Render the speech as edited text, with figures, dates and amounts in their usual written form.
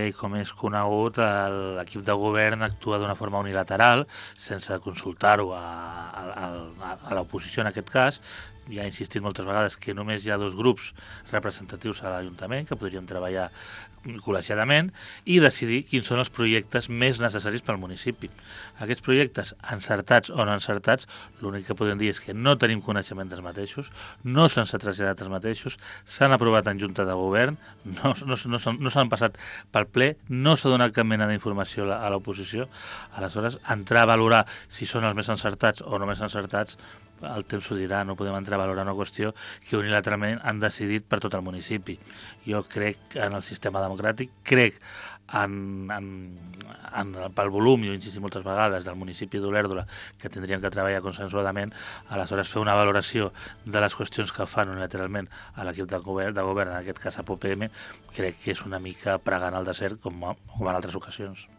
I com és conegut, l'equip de govern actua d'una forma unilateral, sense consultar-ho a l'oposició en aquest cas. Ja he insistit moltes vegades que només hi ha 2 grups representatius a l'Ajuntament que podríem treballar col·legiadament i decidir quins són els projectes més necessaris pel municipi. Aquests projectes, encertats o no encertats, l'únic que podem dir és que no tenim coneixement dels mateixos, no s'han traslladat els mateixos, s'han aprovat en Junta de Govern, no s'han passat pel ple, no s'ha donat cap mena d'informació a l'oposició. Aleshores, entrar a valorar si són els més encertats o no més encertats, el temps ho dirà, no podem entrar a valorar una qüestió que unilateralment han decidit per tot el municipi. Jo crec en el sistema democràtic, crec pel volum, jo he insistit moltes vegades, del municipi d'Olèrdola, que tindrien que treballar consensuadament. Aleshores, fer una valoració de les qüestions que fan unilateralment a l'equip de govern, en aquest cas a POPM, crec que és una mica pregant al desert com en altres ocasions.